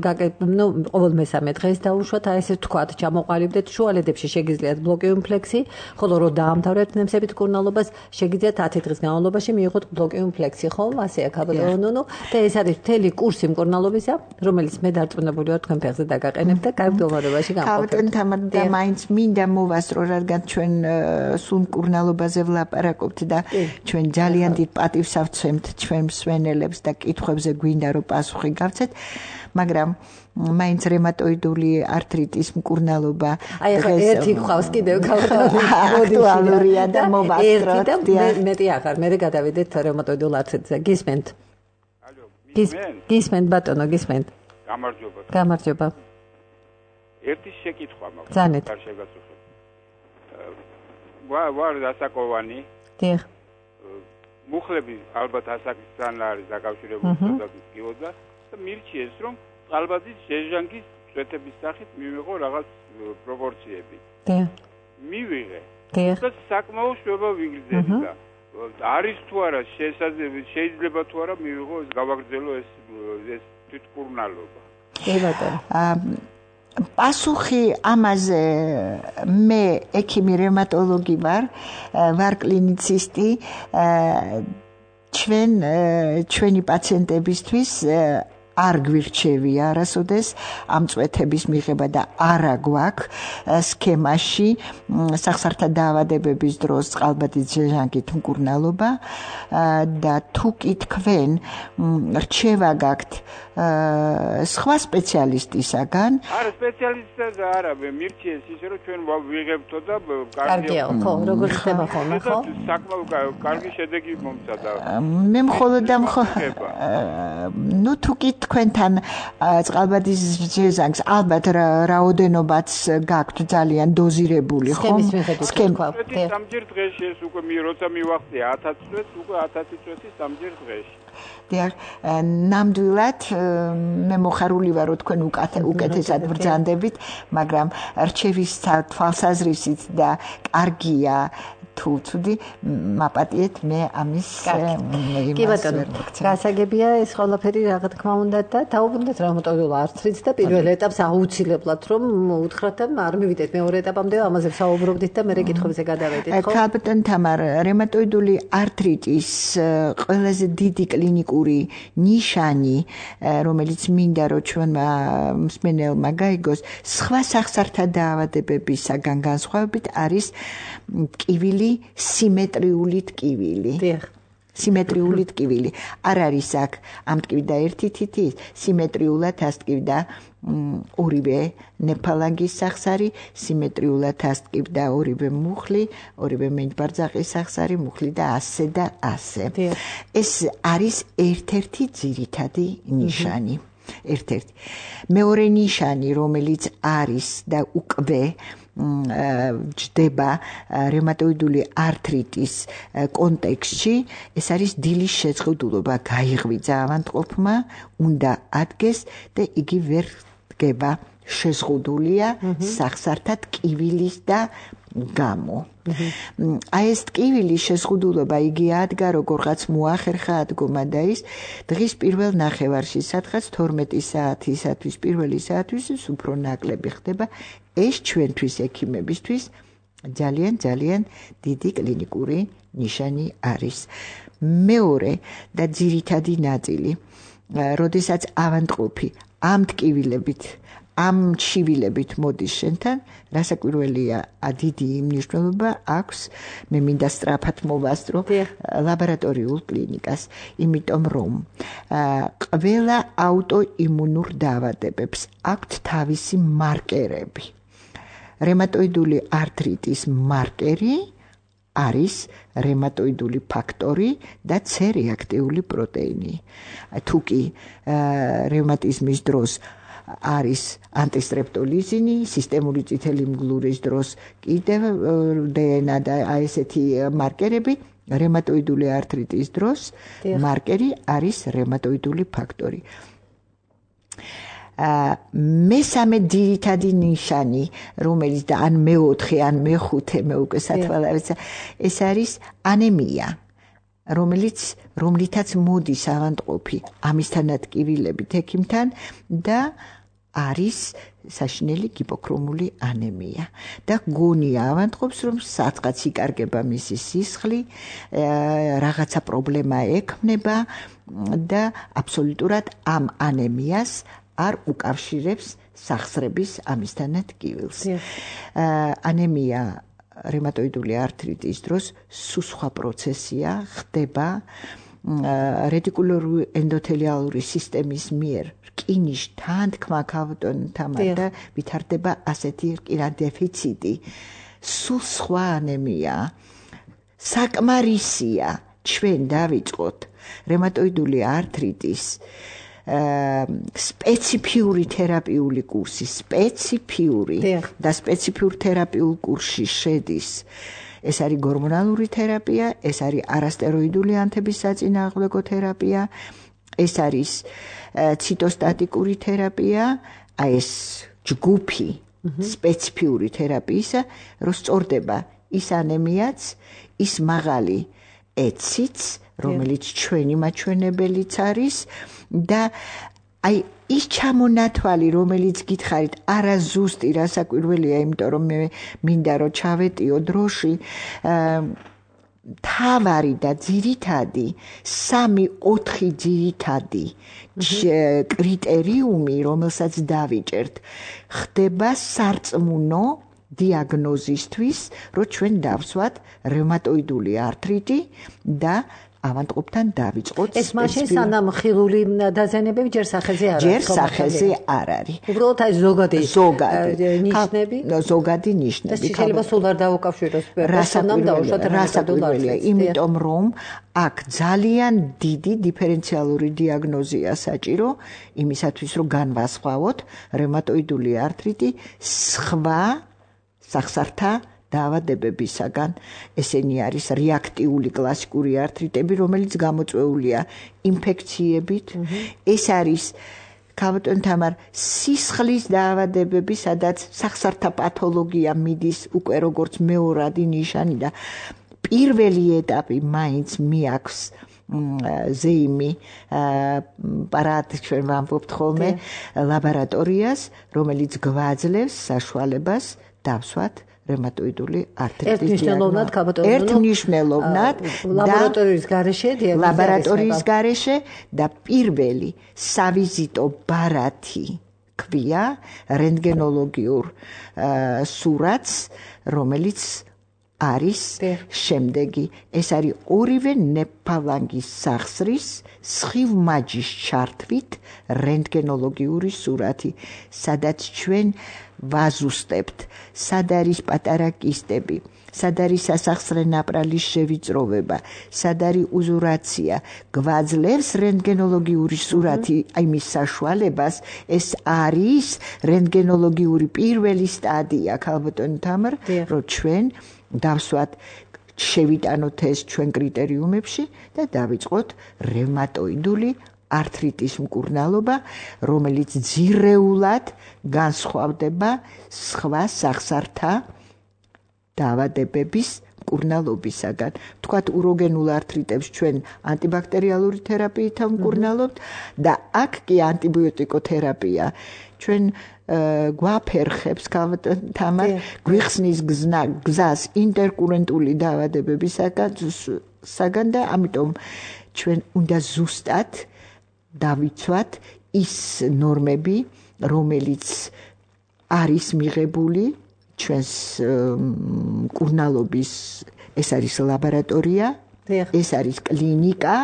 ნუ ყოველ მესამე დღეს დაუშვათ, აი ესე ვთქვათ, ჩამოყალიბდეთ შუალედებში შეგიძლიათ ბლოკიუმ ფლექსი, ხოლო რო დაამთავრებთ ნემსებით მკურნალობას, შეგიძლიათ ათი დღის განმავლობაში მიიღოთ ბლოკიუმ ფლექსი, ხო? ასეა ქალბატონო, და ეს არის მთელი კურსი მკურნალობისა, რომელიც მე დარწმუნებული ვარ თქვენ ფეხზე დაგაყენებთ და კარგ მდგომარეობაში გამყოფთ. ქალბატონ თამარ და მაინც მინდა მოვასწრო, რადგან ჩვენ სულ მკურნალობაზე ვლაპარაკობთ და ჩვენ ძალიან დიდ პატივს ავცემთ ჩვენ მსვენელებს და კითხვებზე გვინდა რომ პასუხი გავცეთ, მაგრამ მაინც რემატოიდული ართრიტის მკურნალობა აი ახლა ერთი გვყავს კიდევ აქტუალურია და მოვასწროთ და მეტი აღარ მე გადავიდეთ რემატოიდულ ართრიტზე. გისმენთ? ალო, გისმენთ ბატონო, გისმენთ? გამარჯობა. გამარჯობა. ერთი შეკითხვა მაქვს. ზანეთ. არ შეგაწუხებ. ვარ დასაკოვანი. დიახ. მუხლები ალბათ ასაკისთან არის დაკავშირებული და და მირჩიეს რომ ალბათის ჟეჟანგის წვეთების სახით მივიღო რაღაც პროპორციები. დიახ. მივიღე. დიახ. და საკმაო შვება ვიგრძელი და არის თუ არა შეიძლება თუ არა მივიღო ეს გავაგრძელო ეს ეს თვითმკურნალობა. კი ბატონო. პასუხი ამაზე მე ექიმი რევმატოლოგი ვარ, ვარ კლინიცისტი, ჩვენ ჩვენი პაციენტებისთვის არ გვირჩევია არასოდეს ამ წვეთების მიღება და არა გვაქვს სქემაში სახსართა დაავადებების დროს წყალბადის ჟეჟანგით მკურნალობა და თუ კი თქვენ რჩევა გაქვთ სხვა სპეციალისტისაგან არა სპეციალისტი არა მირჩიეს ისე რომ ჩვენ ვიღებთო და კარგია ხო როგორ ხდება ხოლმე ხო საკმაოდ კარგი შედეგი მომწადა მე მხოლოდ და ნუ თუ კი თქვენთან წყალბადის ჟეჟანგს ალბათ რაოდენობაც გაქვთ ძალიან დოზირებული ხო სქემის სამჯერ დღეში ეს უკვე მე როცა მივახცე ათასი წუთს უკვე ათასი წუთი სამჯერ დღეში დიახ ნამდვილად მე მოხარული ვარ რომ თქვენ უკეთესად ბრძანდებით მაგრამ რჩევის თვალსაზრისით და კარგია თუ ცუდი მაპატიეთ მე ამის კი ბატონო გასაგებია ეს ყველაფერი რა თქმა უნდა და დაუბრუნდეთ რევმატოიდულ ართრიტს და პირველ ეტაპს აუცილებლად რომ უთხრათ და არ მივიდეთ მეორე ეტაპამდე ამაზე საუბრობდით და მე კითხვებზე გადავედით ხო ბატონ თამარ რევმატოიდული ართრიტის ყველაზე დიდი კლინიკური ნიშანი რომელიც მინდა რომ ჩვენმა მსმენელმა გაიგოს სხვა სახსართა დაავადებებისაგან განსხვავებით არის ტკივილი სიმეტრიული ტკივილი. დიახ. სიმეტრიული ტკივილი. არ არის აქ ამ ტკივიდა ერთი თითი, სიმეტრიულად ასტკივდა ორივე ნეფალანგის სახსარი, სიმეტრიულად ასტკივდა ორივე მუხლი, ორივე მენჯბარძაყის სახსარი, მუხლი და ასე და ასე. ეს არის ერთ-ერთი ძირითადი ნიშანი. ერთ-ერთი. მეორე ნიშანი, რომელიც არის და უკვე ჯდება რევმატოიდული ართრიტის კონტექსტში ეს არის დილის შეწყვილობა გაიღვიძა ავადმყოფმა უნდა ადგეს და იგი ვერ დგება შეზღუდულია სახსართა ტკივილის და გამო აი ეს ტკივილის შეზღუდულობა იგი ადგა როგორღაც მოახერხა ადგომა და ის დღის პირველ ნახევარში სადღაც თორმეტი საათისათვის პირველი საათისთვის უფრო ნაკლები ხდება ეს ჩვენთვის ექიმებისთვის ძალიან ძალიან დიდი კლინიკური ნიშანი არის. მეორე და ძირითადი ნაწილი, როდესაც ავადმყოფი ამ ტკივილებით ამ ჩივილებით მოდის შენთან, რასაკვირველია, დიდი მნიშვნელობა აქვს, მე მინდა სწრაფად მოვასწრო ლაბორატორიულ კლინიკას, იმიტომ რომ ყველა აუტოიმუნურ დაავადებებს აქვთ თავისი მარკერები. რემატოიდული ართრიტის მარკერი არის რემატოიდული ფაქტორი და C რეაქტიული პროტეინი. თუ კი რევმატიზმის დროს არის ანტისტრეპტოლიზინი, სისტემური წითელი მგლურის დროს კიდევ დნ და აი ესეთი მარკერები, რემატოიდული ართრიტის დროს მარკერი არის რემატოიდული ფაქტორი. მესამე ძირითადი ნიშანი, რომელიც და ან მეოთხე, ან მეხუთე, მე უკვე სათვალავეცა, ეს არის ანემია, რომელიც რომლითაც მოდის ავადმყოფი ამისთანაც ტკივილებით ექიმთან და არის საშინელი ჰიპოქრომული ანემია და გონია ავადმყოფს, რომ სადღაც იკარგება მისი სისხლი, რაღაცა პრობლემა ექმნება და აბსოლუტურად ამ ანემიას არ უკავშირებს სახსრების ამისთანაც ტკივილს. ანემია რემატოიდული ართრიტის დროს სულ სხვა პროცესია, ხდება რეტიკულური ენდოთელიალური სისტემის მიერ რკინის თანთქმა ქავტონთან და ვითარდება ასეთი რკინა დეფიციტი. სულ სხვა ანემია. საკმარისია ჩვენ დავიწყოთ რემატოიდული ართრიტის სპეციფიური თერაპიული კურსი, სპეციფიური და სპეციფიურ თერაპიულ კურსში შედის. ეს არის გორმონალური თერაპია, ეს არის არასტეროიდული ანთების საწინააღმდეგო თერაპია, ეს არის ციტოსტატიკური თერაპია, აი ეს ჯგუფი სპეციფიური თერაპიისა, რომ სწორდება ის ანემიაც, ის მაღალი ეციც, რომელიც ჩვენი მაჩვენებელიც არის და აი ის ჩამონათვალი, რომელიც გითხარით, არა ზუსტი, რასაკვირველია, იმიტომ რომ მე მინდა რომ ჩავეტიო დროში, თავარი და ძირითადი, სამი ოთხი ძირითადი კრიტერიუმი, რომელსაც დავიჭერთ, ხდება სარწმუნო დიაგნოზისთვის, რომ ჩვენ დავსვათ რევმატოიდული ართრიტი და ავადმყოფთან დავიწყოთ. ეს მაშინ სანამ ხილული დაზიანებები ჯერ სახეზე არ არის. ჯერ სახეზე არ არის. უბრალოდ აი ზოგადი ნიშნები. ზოგადი ნიშნები. ეს შეიძლება სულ არ დაუკავშიროს. სანამ დავუშვათ რასაკვირველია, იმიტომ რომ აქ ძალიან დიდი დიფერენციალური დიაგნოზია საჭირო იმისათვის, რომ განვასხვაოთ რევმატოიდული ართრიტი სხვა სახსართა დაავადებებისაგან. ესენი არის რეაქტიული კლასიკური ართრიტები, რომელიც გამოწვეულია ინფექციებით. ეს არის ქავტონ თამარ სისხლის დაავადებები, სადაც სახსართა პათოლოგია მიდის უკვე როგორც მეორადი ნიშანი და პირველი ეტაპი მაინც მიაქვს ზეიმი პარადი ჩვენ ვამბობთ ხოლმე ლაბორატორიას, რომელიც გვაძლევს საშუალებას დავსვათ რევმატოიდული ართრიტის ერთმნიშვნელოვნად ქაბატონო ერთმნიშვნელოვნად ლაბორატორიის გარეშე ლაბორატორიის გარეშე და პირველი სავიზიტო ბარათი ქვია რენტგენოლოგიურ სურათს, რომელიც არის შემდეგი. ეს არის ორივე ნეფალანგის სახსრის სხივმაჯის ჩართვით რენტგენოლოგიური სურათი, სადაც ჩვენ ვაზუსტებთ, სად არის პატარა კისტები, სად არის სასახსრე ნაპრალის შევიწროვება, სად არის უზურაცია, გვაძლევს რენტგენოლოგიური სურათი იმის საშუალებას, ეს არის რენტგენოლოგიური პირველი სტადია, ქალბატონი თამარ, რომ ჩვენ დავსვათ შევიტანოთ ეს ჩვენ კრიტერიუმებში და დავიწყოთ რევმატოიდული ართრიტის მკურნალობა, რომელიც ძირეულად განსხვავდება სხვა სახსართა დაავადებების მკურნალობისაგან. Თქვათ უროგენულ ართრიტებს ჩვენ ანტიბაქტერიალური თერაპიით ვმკურნალობთ და აქ კი ანტიბიოტიკოთერაპია. ჩვენ გვაფერხებს თამარ გვიხსნის გზას ინტერკურენტული დაავადებებისაგან და ამიტომ ჩვენ უნდა ზუსტად დავიცვათ ის ნორმები, რომელიც არის მიღებული ჩვენს მკურნალობის, ეს არის ლაბორატორია, ეს არის კლინიკა,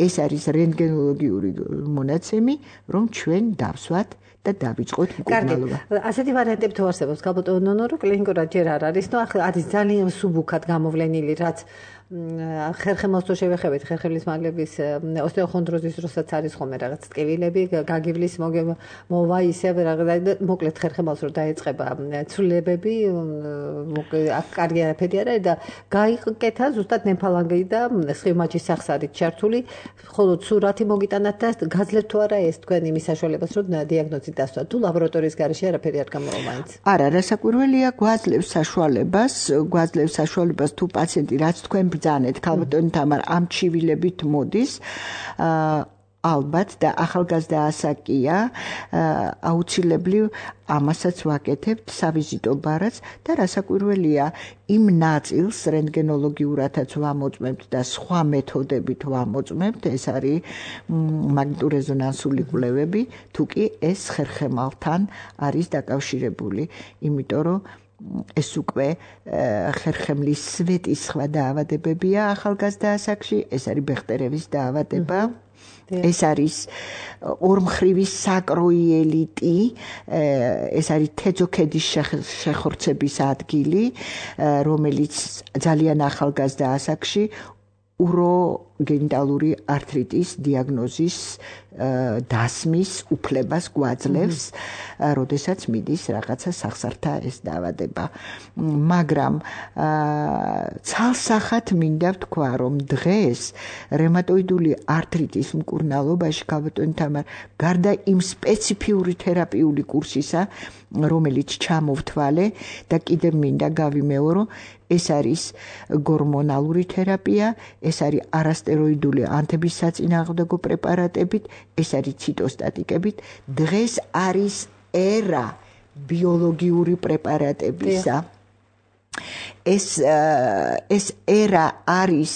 ეს არის რენტგენოლოგიური მონაცემი, რომ ჩვენ დავსვათ და დავიწყოთ მკურნალობა. ასეთი ვარიანტები თუ არსებობს, გაბატონო ნონო, რომ კლინიკურად ჯერ არ არის, ნუ ახლა არის ძალიან სუბუქად გამოვლენილი, რაც ხერხემალს თუ შევეხებით, ხერხემლის მალების ოსტეოხონდროზის დროსაც არის ხოლმე რაღაც ტკივილები, გაგივლის მოვა ისევ რაღაც მოკლედ ხერხემალს რო დაეწყება ცვლილებები, აქ კარგი არაფერი არა და გაიკეთა ზუსტად ნემფალანგი და სხივმაჩის სახსარით ჩართული, ხოლო სურათი მოგიტანათ და გაძლევთ თუ არა ეს თქვენ იმის საშუალებას, რომ დიაგნოზი დასვა. თუ ლაბორატორიის გარეშე არაფერი არ გამოვა მაინც. არა, რასაკვირველია, გვაძლევს საშუალებას, გვაძლევს საშუალებას თუ პაციენტი რაც თქვენ ბრძანეთ, ქალბატონი თამარ ამ ჩივილებით მოდის, ალბათ და ახალგაზრდა ასაკია, აუცილებლივ ამასაც ვაკეთებთ სავიზიტო ბარაც და რასაკვირველია, იმ ნაწილს რენტგენოლოგიურადაც ვამოწმებთ და სხვა მეთოდებით ვამოწმებთ, ეს არის მაგნიტურეზონანსული კვლევები, თუ კი ეს ხერხემალთან არის დაკავშირებული, იმიტომ რომ ეს უკვე ხერხემლის სვეტის სხვა დაავადებებია ახალგაზრდა ასაკში, ეს არის ბეხტერევის დაავადება. ეს არის ორმხრივი საკროიელიტი, ეს არის თეძოქედის შეხორცების ადგილი, რომელიც ძალიან ახალგაზრდა ასაკში უროგენიტალური ართრიტის დიაგნოზის დასმის უფლებას გვაძლევს, როდესაც მიდის რაღაცა სახსართა ეს დაავადება. მაგრამ ცალსახად მინდა ვთქვა, რომ დღეს რევმატოიდული ართრიტის მკურნალობაში ქალბატონი თამარ გარდა იმ სპეციფიური თერაპიული კურსისა, რომელიც ჩამოვთვალე და კიდევ მინდა გავიმეორო, ეს არის გორმონალური თერაპია, ეს არის არასტეროიდული ანთების საწინააღმდეგო პრეპარატებით, ეს არის ციტოსტატიკებით. დღეს არის ერა ბიოლოგიური პრეპარატებისა. ეს ეს ერა არის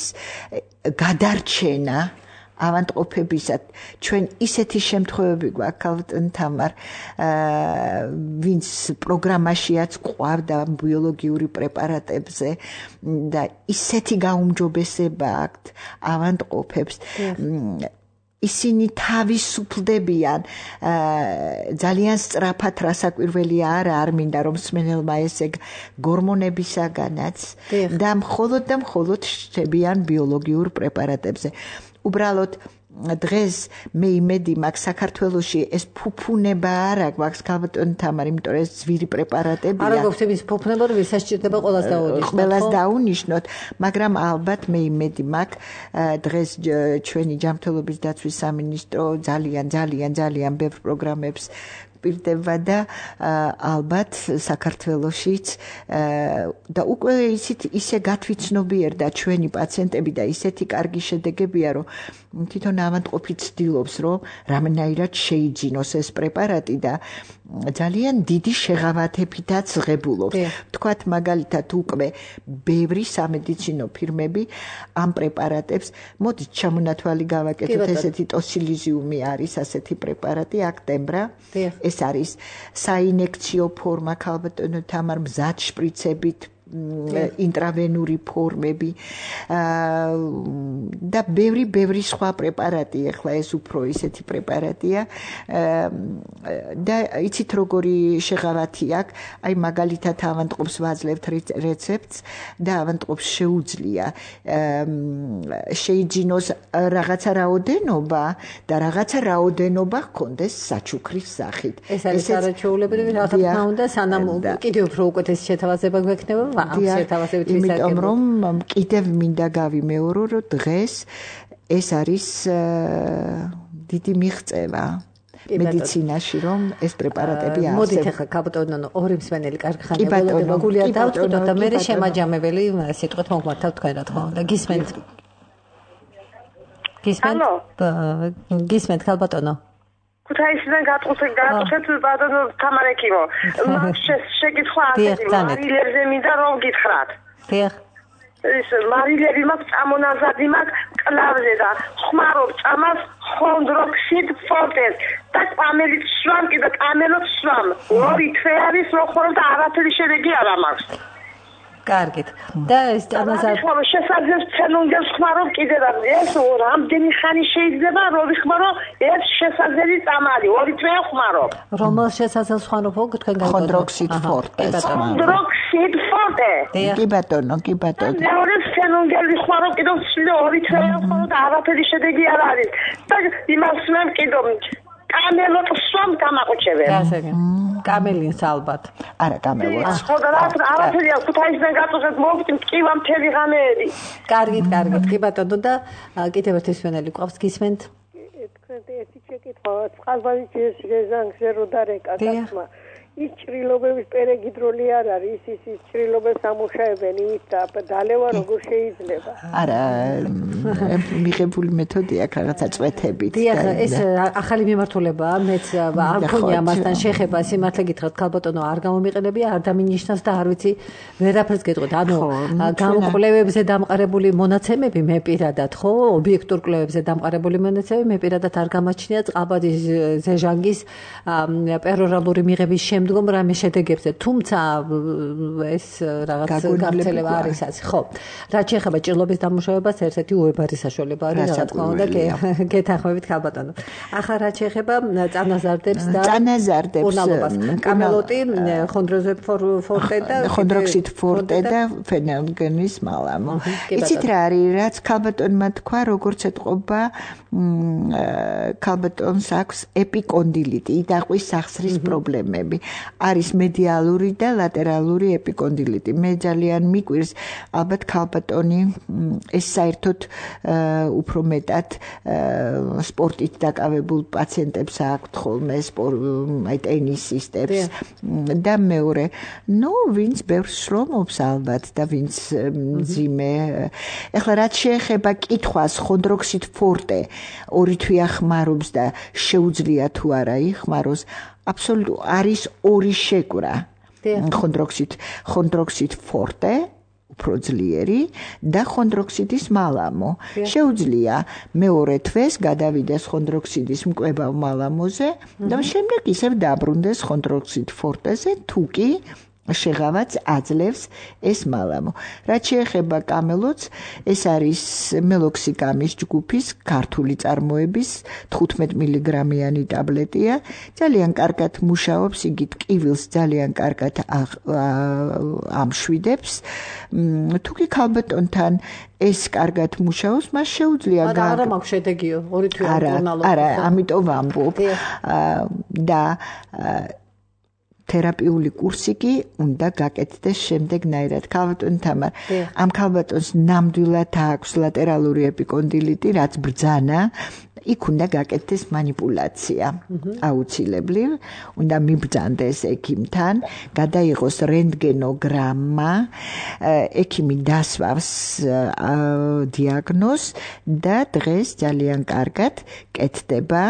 გადარჩენა ავანტყოფებისად. ჩვენ ისეთი შემთხვევები გვაქვს, ქალბატონ თამარ, ვინც პროგრამაშიაც ყავდა ბიოლოგიური პრეპარატებზე და ისეთი გაუმჯობესება აქვთ ავანტყოფებს. ისინი თავისუფლდებიან ძალიან სწრაფად, რასაკვირველია არა, არ მინდა რომ მსმენელმა ესეგ გორმონებისაგანაც და მხოლოდ და მხოლოდ შევიან ბიოლოგიურ პრეპარატებზე. უბრალოდ დღეს მე იმედი მაქვს საქართველოში ეს ფუფუნება არა გვაქვს ქალბატონი თამარ, იმიტომ რომ ეს ძვირი პრეპარატებია. არა გვაქვს ის ფუფუნება, რომ ვისაც სჭირდება ყველას დაუნიშნოთ. ყველას დაუნიშნოთ, მაგრამ ალბათ მე იმედი მაქვს დღეს ჩვენი ჯანმრთელობის დაცვის სამინისტრო ძალიან ძალიან ძალიან ბევრ პროგრამებს პირდება და ალბათ საქართველოშიც და უკვე ისეთ ისე გათვითცნობიერდა ჩვენი პაციენტები და ისეთი კარგი შედეგებია, რომ თვითონ ავანტყოფი ცდილობს, რომ რამენაირად შეიძინოს ეს პრეპარატი და ძალიან დიდი შეღავათებითაც ღებულობს. თქვათ მაგალითად უკვე ბევრი სამედიცინო ფირმები ამ პრეპარატებს, მოდით ჩამონათვალი გავაკეთოთ, ესეთი ტოსილიზიუმი არის ასეთი პრეპარატი, აქტემბრა. ეს არის საინექციო ფორმა, ქალბატონო თამარ, მზად შპრიცებით ინტრავენური ფორმები და ბევრი ბევრი სხვა პრეპარატი, ახლა ეს უფრო ისეთი პრეპარატია და იცით როგორი შეღავათი აქვს, აი მაგალითად ავანტყოფს ვაძლევთ რეცეპტს და ავანტყოფს შეუძლია შეიძინოს რაღაცა რაოდენობა და რაღაცა რაოდენობა ჰქონდეს საჩუქრის სახით. ეს არის არაჩვეულებრივი, რა თქმა უნდა, სანამ კიდევ უფრო უკეთესი შეთავაზება გვექნება. იმიტომ რომ კიდევ მინდა გავიმეორო, რომ დღეს ეს არის დიდი მიღწევა მედიცინაში რომ ეს პრეპარატები არსებობს. მოდით ახლა კაბოტონო ორი მსმენელი კარგი ხანია ველოდება გულია დავწყვიტო და მე შემაჯამებელი სიტყვით მოგმართავ თქვენ რა თქმა უნდა გისმენთ გისმენთ გისმენთ კაბოტონო ქუთაისიდან გატყუხეთ გატყუხეთ ბატონო თამარეკიმო შეგითხვა ასეთი მარილებზე მინდა რომ გითხრათ დიახ ეს მარილები მაქვს წამონაზადი მაქვს კლავზე და ხმარობ წამას ხონდროქსიდ ფორტეს და კამელით სვამ კიდე კამელოთ სვამ ორი თვე არის რო ხორო და არაფერი შედეგი არ მაქვს კარგით და ეს წამაზადი ხო შესაძლებს ცენუნგებს ხმარობ კიდე და ეს რამდენი ხანი შეიძლება რო ვიხმარო ეს შესაძლებელი წამალი ორი თვე ხმარობ რომელ შესაძლებს ხმარობ თქვენ გაიგონოთ ხონდროქსიდ ფორტეს ხონდროქსიდ ფორტე კი ბატონო კი ბატონო მეორე ცენუნგები ხმარობ კიდე ორი თვე ხმარო და არაფერი შედეგი არ არის და იმას მე კიდე კამელოთ სვამ გამაყუჩებენ. გასაგებ. კამელინს ალბათ. არა, კამელოთ. ხო და რა არაფერია ქუთაისიდან გაწუხეთ მოვიდით მტკივა მთელი ღამეები. კარგით, კარგით. კი ბატონო და კიდევ ერთი სვენელი ყავს გისმენთ. თქვენ ერთი შეკითხვა წყალბადის ჟეზანგზე რო დარეკა გასმა. ის ჭრილობების პერეგიდროლი არ არის ის ის ჭრილობებს ამუშავებენ იმით და დალევა როგორ შეიძლება არა მიღებული მეთოდია რაღაცა წვეთებით დიახ ეს ახალი მიმართულებაა მეც არ მქონია ამასთან შეხება სიმართლე გითხრათ ქალბატონო არ გამომიყენებია არ დამინიშნავს და არ ვიცი ვერაფერს გეტყვით ანუ გამოკვლევებზე დამყარებული მონაცემები მე პირადად ხო ობიექტურ კვლევებზე დამყარებული მონაცემები მე პირადად არ გამაჩნია წყალბადის ჟეზანგის პერორალური მიღების მდგომ რამე შედეგებზე თუმცა ეს რაღაც გაგრძელება არის ასე ხო რაც შეეხება ჭრილობის დამუშავებას ერთ-ერთი უებარი საშუალება არის რა თქმა უნდა გეთანხმებით ქალბატონო ახლა რაც შეეხება წანაზარდებს და წანაზარდებს კამელოტი ხონდროზე ფორტე და ხონდროქსიდ ფორტე და ფენოლგენის მალამო იცით რა არის რაც ქალბატონმა თქვა როგორც ეთყობა ქალბატონს აქვს ეპიკონდილიტი იდაყვის სახსრის პრობლემები არის მედიალური და ლატერალური ეპიკონდილიტი. მე ძალიან მიკვირს ალბათ ქალბატონი ეს საერთოდ უფრო მეტად სპორტით დაკავებულ პაციენტებს აქვთ ხოლმე აი ტენისისტებს და მეორე ნუ ვინც ბევრს შრომობს ალბათ და ვინც მძიმე ეხლა რაც შეეხება კითხვას ხონდროქსიდ ფორტე ორი თვეა ხმარობს და შეუძლია თუ არა იხმაროს აბსოლუტურად არის ორი შეკვრა ხონდროქსიდ ხონდროქსიდ ფორტე უფრო ძლიერი და ხონდროქსიდის მალამო შეუძლია მეორე თვეს გადავიდეს ხონდროქსიდის მკვებავ მალამოზე და შემდეგ ისევ დაბრუნდეს ხონდროქსიდ ფორტეზე თუ კი შეღავაც აძლევს ეს მალამო. რაც შეეხება კამელოტს, ეს არის მელოქსიკამის ჯგუფის ქართული წარმოების თხუთმეტ მილიგრამიანი ტაბლეტია. ძალიან კარგად მუშაობს, იგი ტკივილს ძალიან კარგად ამშვიდებს. თუ კი ქალბატონთან ეს კარგად მუშაობს, მას შეუძლია გაგ არა მაქვს შედეგიო, ორი თვე არა, არა, ამიტომ ვამბობ. და თერაპიული კურსი კი უნდა გაკეთდეს შემდეგნაირად. ქალბატონ თამარ, ამ ქალბატონს ნამდვილად აქვს ლატერალური ეპიკონდილიტი, რაც ბრძანა, იქ უნდა გაკეთდეს манипуляция. აუცილებლივ უნდა მიბრძანდეს ექიმთან, გადაიღოს რენტგენოგრამა, ექიმი დასვავს დიაგნოზს და დღეს ძალიან კარგად კეთდება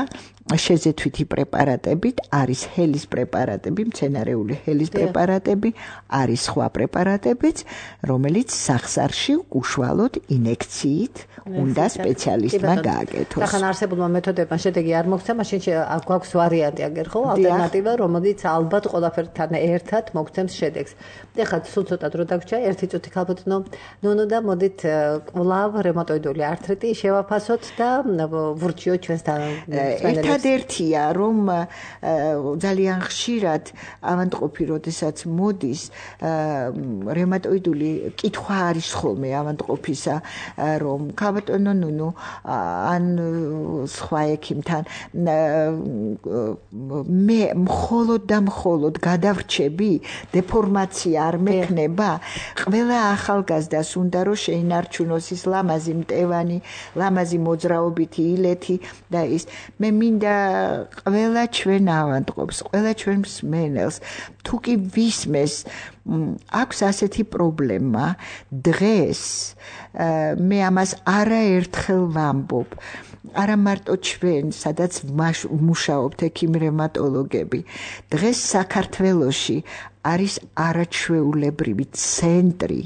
შეზეთვითი პრეპარატებით, არის ჰელის პრეპარატები, მცენარეული ჰელის პრეპარატები, არის სხვა პრეპარატებიც, რომელიც სახსარში უშუალოდ ინექციით უნდა სპეციალისტმა გააკეთოს. ახლა არსებულმა მეთოდებმა შედეგი არ მოგცა, მაშინ გვაქვს ვარიანტი აგერ ხო, ალტერნატივა, რომელიც ალბათ ყველაფერთან ერთად მოგცემს შედეგს. ეხლა სულ ცოტა დრო დაგვრჩა, ერთი წუთი ქალბატონო, ნონო და მოდით კვლავ რევმატოიდული ართრიტი შევაფასოთ და ვურჩიოთ ჩვენთან ერთადერთია რომ ძალიან ხშირად ავადმყოფი როდესაც მოდის რევმატოიდული კითხვა არის ხოლმე ავადმყოფისა რომ ქალბატონო ნუნუ ან სხვა ექიმთან მე მხოლოდ და მხოლოდ გადავრჩები დეფორმაცია არ მექნება ყველა ახალგაზრდას უნდა რომ შეინარჩუნოს ის ლამაზი მტევანი ლამაზი მოძრაობითი ილეთი და ის მე მინდა მინდა ყველა ჩვენ ავადმყოფს, ყველა ჩვენ მსმენელს, თუ კი ვისმეს აქვს ასეთი პრობლემა, დღეს მე ამას არაერთხელ ვამბობ. არა მარტო ჩვენ, სადაც მუშაობთ ექიმ-რევმატოლოგები, დღეს საქართველოში არის არაჩვეულებრივი ცენტრი,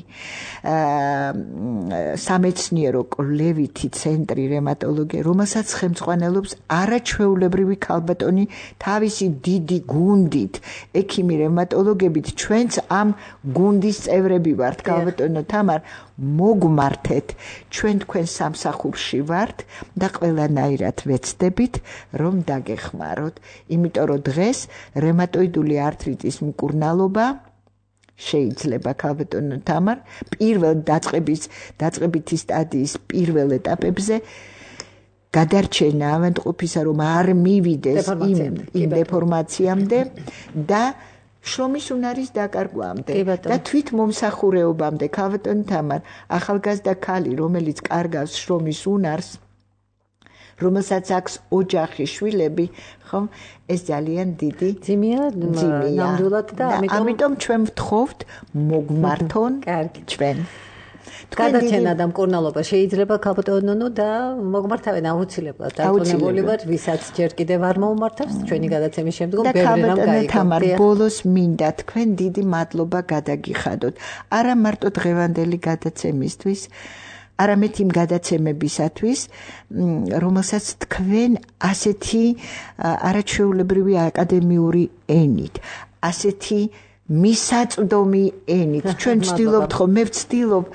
სამეცნიერო კვლევითი ცენტრი რევმატოლოგია, რომელსაც ხელმძღვანელობს არაჩვეულებრივი ქალბატონი თავისი დიდი გუნდით, ექიმი-რევმატოლოგებით, ჩვენც ამ გუნდის წევრები ვართ, ქალბატონო თამარ, მოგმართეთ, ჩვენ თქვენ სამსახურში ვართ და ყველანაირად ვეცდებით, რომ დაგეხმაროთ, იმიტომ რომ დღეს რევმატოიდული ართრიტის მკურნალობა შეიძლება ქალბატონო თამარ პირველ დაწყების დაწყებითი სტადიის პირველ ეტაპებზე გადარჩენა ავადმყოფისა რომ არ მივიდეს იმ დეფორმაციამდე და შრომის უნარის დაკარგვამდე და თვით მომსახურეობამდე ქალბატონო თამარ ახალგაზრდა ქალი რომელიც კარგავს შრომის უნარს რომელსაც აქვს ოჯახი, შვილები, ხომ? ეს ძალიან დიდი ძიმია, ნამდვილად და ამიტომ ჩვენ ვთხოვთ მოგმართონ ჩვენ. გადაჩენა და მკურნალობა შეიძლება ქალბატონო და მოგმართავენ აუცილებლად. დარწმუნებული ვარ, ვისაც ჯერ კიდევ არ მოუმართავს, ჩვენი გადაცემის შემდგომ ბევრი რამ გაიგო. თამარ, ბოლოს მინდა თქვენ დიდი მადლობა გადაგიხადოთ. არა მარტო დღევანდელი გადაცემისთვის, არამედ იმ გადაცემებისათვის, რომელსაც თქვენ ასეთი არაჩვეულებრივი აკადემიური ენით, ასეთი მისაწვდომი ენით. ჩვენ ვცდილობთ ხო, მე ვცდილობ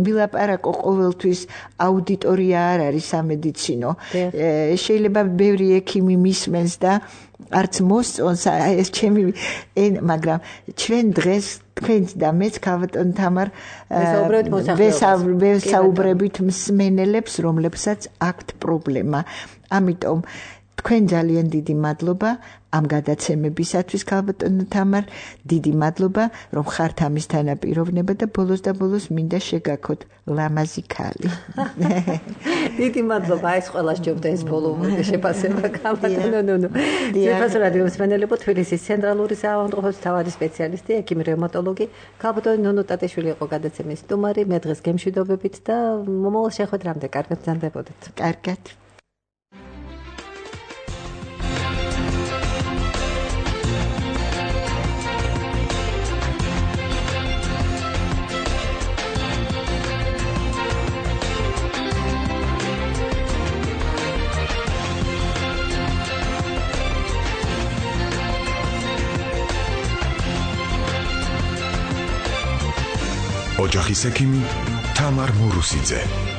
ვილაპარაკო ყოველთვის აუდიტორია არ არის სამედიცინო. შეიძლება ბევრი ექიმი მისმენს და არც მოსწონს ეს ჩემი მაგრამ ჩვენ დღეს თქვენც და მეც ქალბატონ თამარ ვესაუბრებით მსმენელებს, რომლებსაც აქვთ პრობლემა. ამიტომ თქვენ ძალიან დიდი მადლობა ამ გადაცემებისათვის ქალბატონო თამარ, დიდი მადლობა რომ ხართ ამის თანაპიროვნება და ბოლოს და ბოლოს მინდა შეგაქოთ ლამაზი ქალი. დიდი მადლობა, ეს ყველა სჯობდა ეს ბოლო შეფასება ქალბატონო ნუ ნუ. ზეფას რადიო მსმენელებო, თბილისის ცენტრალური საავადმყოფოს მთავარი სპეციალისტი, ექიმ-რევმატოლოგი ქალბატონი ნუნუ ტატიშვილი იყო გადაცემის სტუმარი, მე დღეს გემშვიდობებით და მომავალ შეხვედრამდე კარგად ბრძანდებოდეთ. კარგად. ოჯახის ექიმი თამარ მურუსიძე.